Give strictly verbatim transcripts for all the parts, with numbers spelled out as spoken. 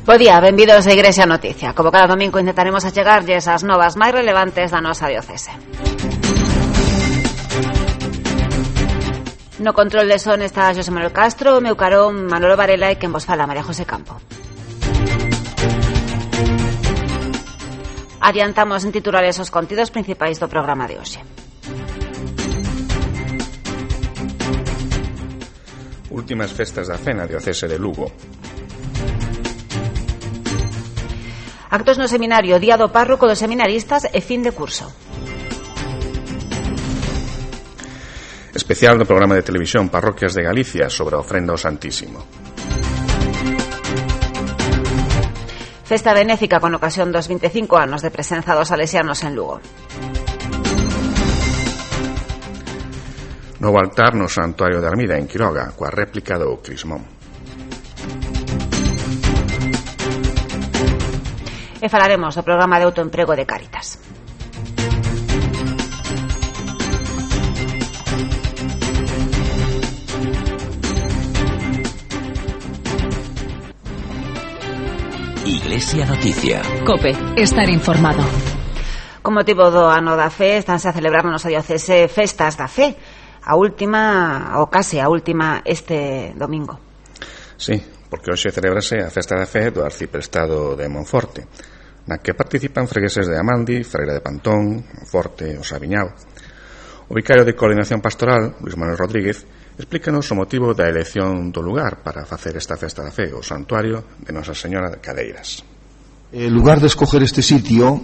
Bo día, benvidos a Igrexa Noticia. Como cada domingo intentaremos achegarlles as novas máis relevantes da nosa diocese. No control de son está José Manuel Castro, o meu carón Manolo Varela e quen vos fala María José Campo. Adiantamos en titulares os contidos principais do programa de hoxe. Últimas festas da fe na diocese de Lugo. Actos no seminario, día do párroco dos seminaristas e fin de curso. Especial do programa de televisión Parroquias de Galicia sobre a ofrenda ao Santísimo. Festa benéfica con ocasión dos veinticinco anos de presenza dos salesianos en Lugo. Novo altar no Santuario de Armida en Quiroga, coa réplica do Crismón. E falaremos do programa de autoemprego de Cáritas. Iglesia Noticia. COPE, estar informado. Con motivo do ano da fe, estánse a celebrar na nosa diocese festas da fe. A última, ou case a última, este domingo. Sí, porque hoxe celebrase a festa da fe do arciprestado de Monforte, na que participan fregueses de Amandi, Freira de Pantón, Monforte, o Sabiñao. O vicario de Coordinación Pastoral, Luis Manuel Rodríguez, explícanos o motivo da elección do lugar para facer esta festa da fe, o Santuario de Nosa Señora de Cadeiras. El lugar de escoger este sitio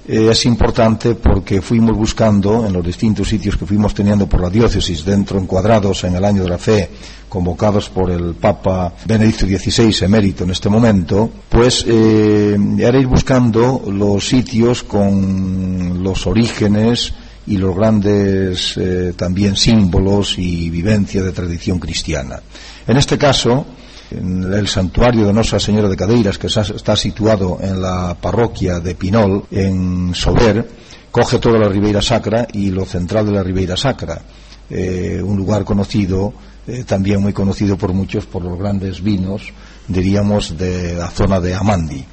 eh, es importante porque fuimos buscando en los distintos sitios que fuimos teniendo por la diócesis, dentro encuadrados en el año de la fe, convocados por el Papa Benedicto dieciséis, emérito en este momento, pues eh, era ir buscando los sitios con los orígenes y los grandes eh, también símbolos y vivencia de tradición cristiana. En este caso, en el santuario de Nosa Señora de Cadeiras, que está situado en la parroquia de Pinol, en Sober, coge toda la Ribeira Sacra y lo central de la Ribeira Sacra, eh, un lugar conocido, eh, también muy conocido por muchos por los grandes vinos, diríamos, de la zona de Amandi.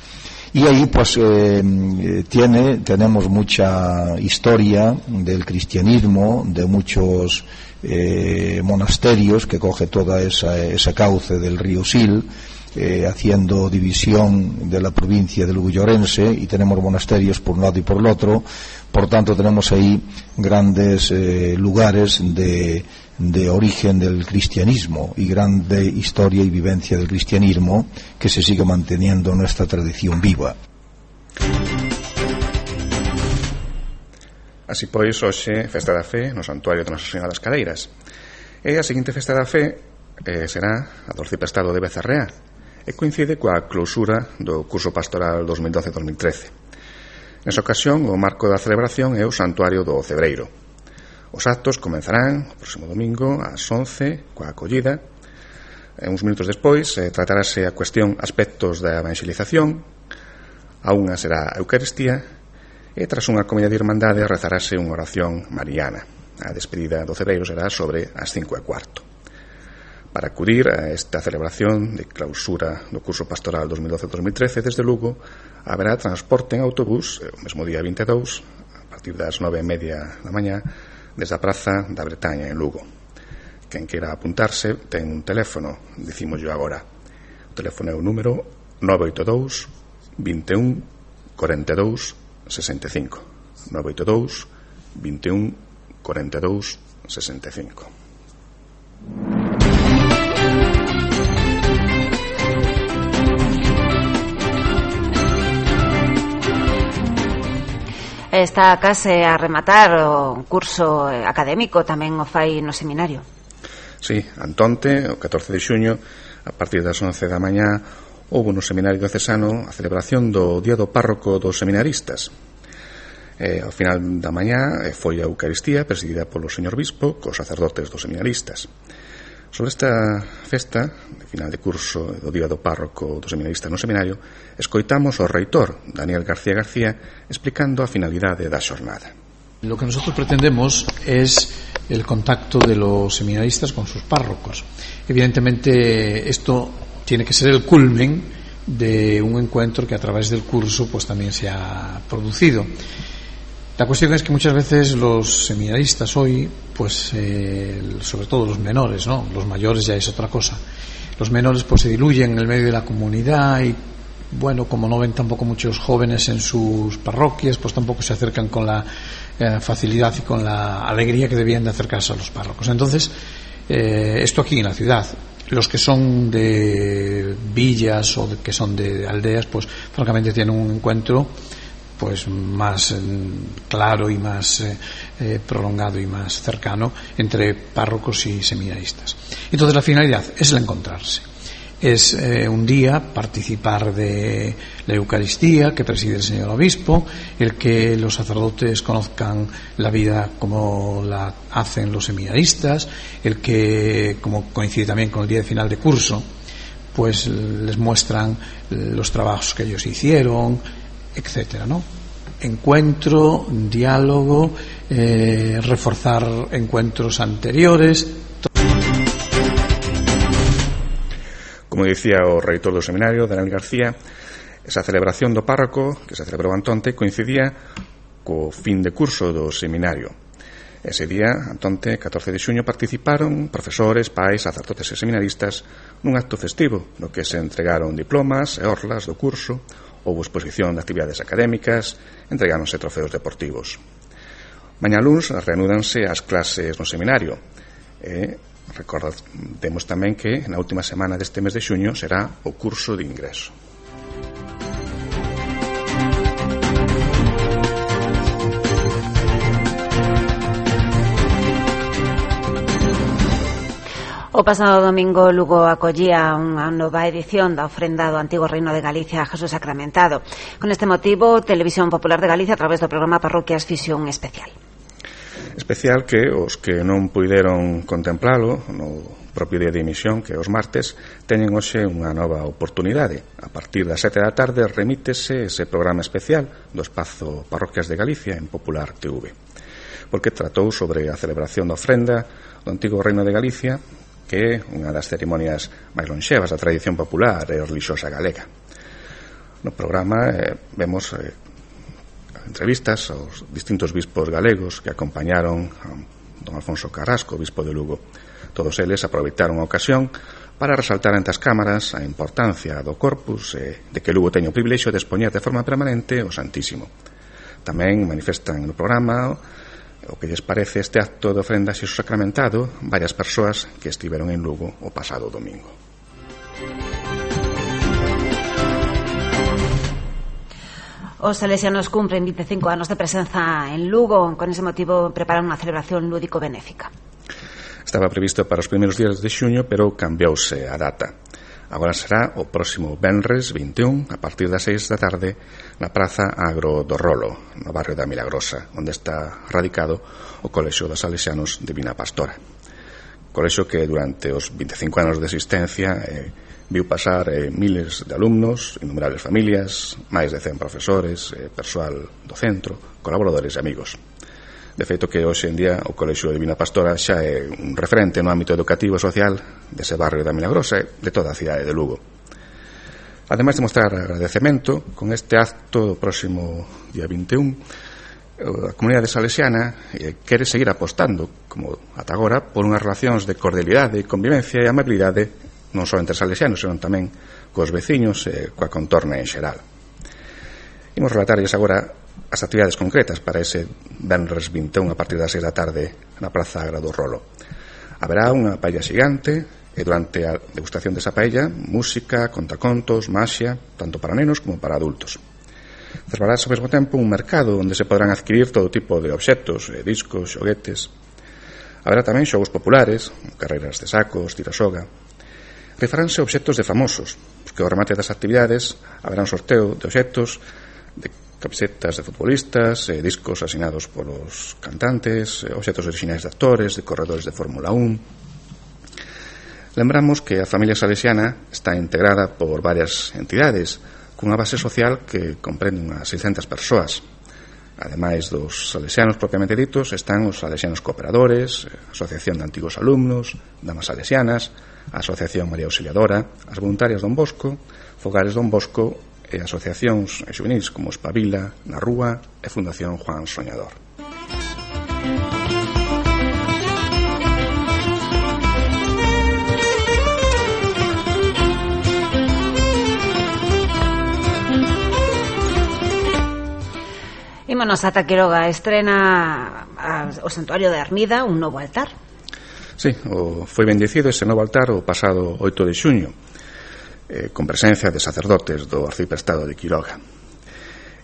Y ahí pues eh, tiene, tenemos mucha historia del cristianismo, de muchos eh, monasterios que coge toda esa, ese cauce del río Sil, eh, haciendo división de la provincia de Lugo y Orense, y tenemos monasterios por un lado y por el otro. Por tanto tenemos ahí grandes eh, lugares de, de origen del cristianismo y grande historia y vivencia del cristianismo que se sigue manteniendo nuestra tradición viva. Así pois, hoxe, festa da fe no Santuario de Nosa Señora das Cadeiras. E a seguinte festa da fe eh, será a do arciprestado de Becerrea e coincide coa clausura do curso pastoral dos mil doce dos mil trece. Nesa ocasión, o marco da celebración é o Santuario do Cebreiro. Os actos comenzarán o próximo domingo ás once coa acollida. E uns minutos despois eh, tratarase a cuestión aspectos da evangelización. A unha será a Eucaristía e tras unha comida de irmandade rezarase unha oración mariana. A despedida do Cebreiro será sobre as cinco e cuarto. Para acudir a esta celebración de clausura do curso pastoral dos mil doce dos mil trece desde Lugo, haberá transporte en autobús o mesmo día vinte e dous a partir das nove e media da mañá desde a Praza da Bretaña en Lugo. Quen queira apuntarse ten un teléfono, dicímoslo agora. O teléfono é o número nove oito dous, vinte e un, cuarenta e dous, sesenta e cinco. nove oito dous, vinte e un, cuarenta e dous, sesenta e cinco. Está case a rematar o curso académico, tamén o fai no seminario. Sí, antonte, o catorce de xuño, a partir das once da mañá, houve no seminario diocesano a celebración do Día do Párroco dos Seminaristas. E, ao final da mañá foi a Eucaristía presidida polo señor Bispo cos sacerdotes dos seminaristas. Sobre esta festa de final de curso do Día do Párroco dos Seminaristas no seminario, escoitamos o reitor Daniel García García explicando a finalidade da xornada. Lo que nosotros pretendemos es el contacto de los seminaristas con sus párrocos. Evidentemente esto tiene que ser el culmen de un encuentro que a través del curso pues también se ha producido. La cuestión es que muchas veces los seminaristas hoy, pues eh, sobre todo los menores, ¿no? Los mayores ya es otra cosa. Los menores pues se diluyen en el medio de la comunidad y, bueno, como no ven tampoco muchos jóvenes en sus parroquias, pues tampoco se acercan con la eh, facilidad y con la alegría que debían de acercarse a los párrocos. Entonces, eh, esto aquí en la ciudad. Los que son de villas o de, que son de aldeas, pues francamente tienen un encuentro pues más eh, claro y más eh, eh, prolongado y más cercano entre párrocos y seminaristas. Entonces la finalidad es el encontrarse. Es eh, un día participar de la Eucaristía que preside el señor obispo, el que los sacerdotes conozcan la vida como la hacen los seminaristas, el que, como coincide también con el día de final de curso, pues les muestran los trabajos que ellos hicieron, etcétera, ¿no? Encuentro, diálogo, eh, reforzar encuentros anteriores. Como dicía o reitor do seminario, Daniel García, esa celebración do párroco que se celebrou antonte coincidía co fin de curso do seminario. Ese día, antonte, catorce de xuño, participaron profesores, pais, sacerdotes e seminaristas nun acto festivo no que se entregaron diplomas e orlas do curso. Houbo exposición de actividades académicas, entregáronse trofeos deportivos. Mañá luns reanúdanse as clases no seminario. E recordemos tamén que na última semana deste mes de xuño será o curso de ingreso. O pasado domingo Lugo acollía unha nova edición da ofrenda do antigo Reino de Galicia a Jesús Sacramentado. Con este motivo, Televisión Popular de Galicia, a través do programa Parroquias, fixo un especial. Especial que os que non puideron contemplalo no propio día de emisión, que os martes, teñen hoxe unha nova oportunidade. A partir das sete da tarde remítese ese programa especial do espazo Parroquias de Galicia en Popular T V, porque tratou sobre a celebración da ofrenda do antigo Reino de Galicia, que é unha das cerimonias máis lonxevas da tradición popular e relixiosa galega. No programa eh, vemos eh, entrevistas aos distintos bispos galegos que acompañaron a don Alfonso Carrasco, bispo de Lugo. Todos eles aproveitaron a ocasión para resaltar ante as cámaras a importancia do corpus e de que Lugo teña o privilexio de expoñer de forma permanente o Santísimo. Tamén manifestan no programa o que lles parece este acto de ofrenda a Xesús Sacramentado varias persoas que estiveron en Lugo o pasado domingo. Os salesianos cumpren vinte e cinco anos de presenza en Lugo. Con ese motivo preparan unha celebración lúdico-benéfica. Estaba previsto para os primeiros días de xuño, pero cambiouse a data. Agora será o próximo venres vinte e un, a partir das seis da tarde, na Praza Agro do Rolo, no barrio da Milagrosa, onde está radicado o Colexio dos Salesianos Divina Pastora. Colexio que durante os vinte e cinco anos de existencia eh, viu pasar eh, miles de alumnos, innumerables familias, máis de cen profesores, eh, persoal do centro, colaboradores e amigos. De feito que hoxe en día o Colexio Divina Pastora xa é un referente no ámbito educativo e social dese barrio da Milagrosa e de toda a cidade de Lugo. Ademais de mostrar agradecemento, con este acto do próximo día vinte e un, a comunidade salesiana eh, quere seguir apostando, como ata agora, por unhas relacións de cordialidade, convivencia e amabilidade non só entre salesianos, senón tamén cos veciños e coa contorna en xeral. Imos relatarlles agora as actividades concretas para ese venres vinte e un a partir das seis da tarde na Praza Agra do Rolo. Haberá unha paella xigante e durante a degustación desa paella, música, contacontos, maxia, tanto para nenos como para adultos. Celebrarase ao mesmo tempo un mercado onde se podrán adquirir todo tipo de obxectos, discos, xoguetes. Haberá tamén xogos populares, carreiras de sacos, tirasoga. Rifaránse obxectos de famosos, porque ao remate das actividades haberá un sorteo de obxectos, de camisetas de futbolistas, eh, discos asinados polos cantantes, eh, obxectos orixinais de actores, de corredores de Fórmula un. Lembramos que a familia salesiana está integrada por varias entidades cunha base social que comprende unhas seiscentas persoas. Ademais dos salesianos propiamente ditos, están os salesianos cooperadores, Asociación de Antigos Alumnos, Damas Salesianas, a Asociación María Auxiliadora, as voluntarias Don Bosco, Fogares Don Bosco e asociacións xuvenis como Espabila, Na Rúa e Fundación Juan Soñador. Ímonos ata Quiroga, estrena o Santuario de Armida un novo altar. Sí, o foi bendecido ese novo altar o pasado oito de xuño, eh, con presencia de sacerdotes do arciprestado de Quiroga.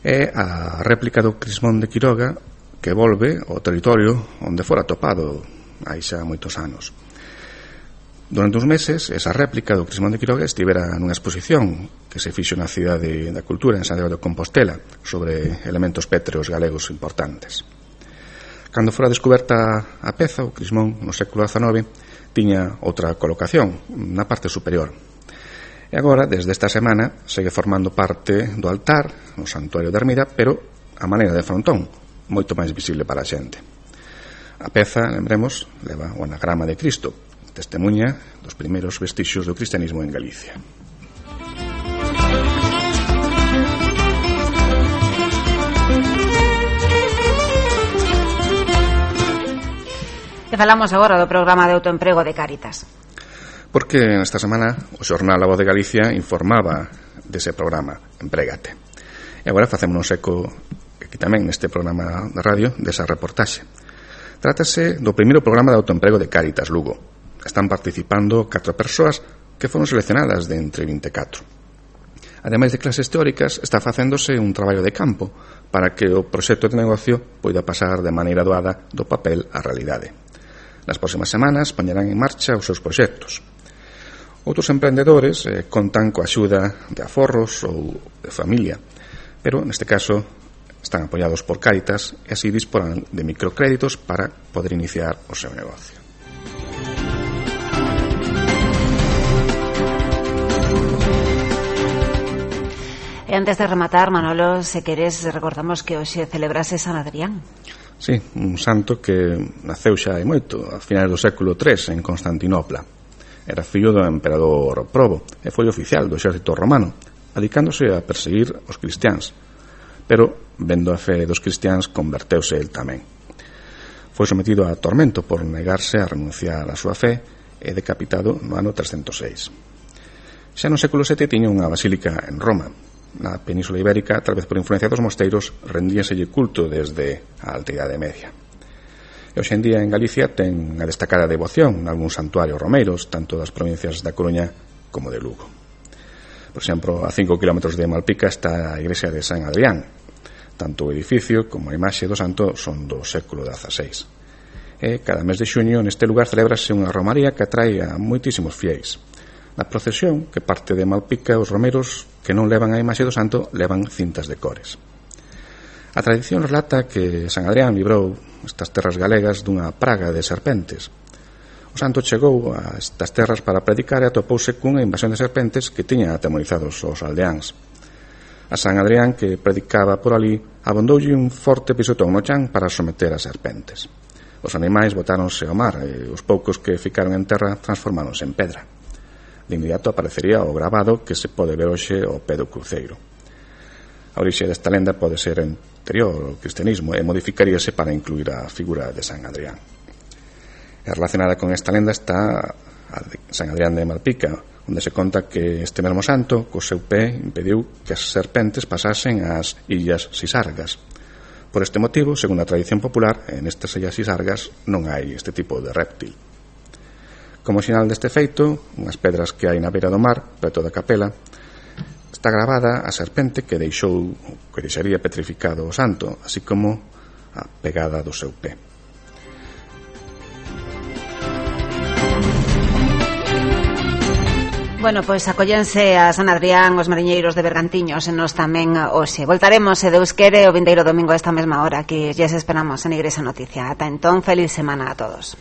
É a réplica do crismón de Quiroga que volve ao territorio onde fora topado hai xa moitos anos. Durante uns meses, esa réplica do crismón de Quiroga estivera nunha exposición que se fixo na Cidade da Cultura en Santiago de Compostela sobre elementos pétreos galegos importantes. Cando fora descoberta a peza, o crismón no século dezanove tiña outra colocación na parte superior. E agora, desde esta semana, segue formando parte do altar no Santuario de Armida, pero a maneira de frontón, moito máis visible para a xente. A peza, lembremos, leva o anagrama de Cristo, testemunha dos primeiros vestixios do cristianismo en Galicia. E falamos agora do programa de autoemprego de Cáritas. Porque nesta semana o xornal A Voz de Galicia informaba dese programa Emprégate. E agora facémonos eco aquí tamén neste programa de radio desa reportaxe. Trátase do primeiro programa de autoemprego de Cáritas Lugo. Están participando catro persoas que foron seleccionadas de entre vinte e catro. Ademais de clases teóricas, está facéndose un traballo de campo para que o proxecto de negocio poida pasar de maneira doada do papel á realidade. Nas próximas semanas poñerán en marcha os seus proxectos. Outros emprendedores eh, contan coa axuda de aforros ou de familia, pero neste caso están apoiados por Cáritas e así disporán de microcréditos para poder iniciar o seu negocio. E antes de rematar, Manolo, se queres, recordamos que hoxe celebrase San Adrián. Sí, un santo que naceu xa hai moito, a finais do século tres, en Constantinopla. Era fillo do emperador Probo e foi oficial do exército romano, adicándose a perseguir os cristiáns. Pero, vendo a fe dos cristiáns, converteuse el tamén. Foi sometido a tormento por negarse a renunciar a súa fe e decapitado no ano trescentos seis. Xa no século sete tiña unha basílica en Roma. Na Península Ibérica, tal vez por influencia dos mosteiros, rendíaselle culto desde a Alta Idade Media. E hoxe en día en Galicia ten a destacada devoción nalgún santuario romeiros, tanto das provincias da Coruña como de Lugo. Por exemplo, a cinco kilómetros de Malpica está a igrexa de San Adrián. Tanto o edificio como a imaxe do santo son do século dezaseis. E cada mes de xuño neste lugar celebrase unha romaría que atrae a moitísimos fiéis. Na procesión que parte de Malpica, os romeiros que non levan a imaxe do santo levan cintas de cores. A tradición relata que San Adrián librou estas terras galegas dunha praga de serpentes. O santo chegou a estas terras para predicar e atopouse cunha invasión de serpentes que tiña atemorizados os aldeáns. A San Adrián, que predicaba por ali, abondoulle un forte pisotón no chan para someter as serpentes. Os animais botáronse ao mar e os poucos que ficaron en terra transformáronse en pedra. De inmediato aparecería o gravado que se pode ver hoxe ao pé do cruceiro. A orixe desta lenda pode ser anterior ao cristianismo e modificaríase para incluir a figura de San Adrián. E relacionada con esta lenda está a de San Adrián de Malpica, onde se conta que este mesmo santo, co seu pé, impediu que as serpentes pasasen ás illas Sisargas. Por este motivo, segundo a tradición popular, en estas illas Sisargas non hai este tipo de réptil. Como sinal deste feito, unhas pedras que hai na beira do mar, preto da capela, está gravada a serpente que deixou, que deixaría petrificado o santo, así como a pegada do seu pé. Bueno, pois acollense a San Adrián os mariñeiros de Bergantiños e nos tamén hoxe. Voltaremos, se Deus quere, o vindeiro domingo a esta mesma hora, que ya se esperamos en Igrexa Noticia. Ata entón, feliz semana a todos.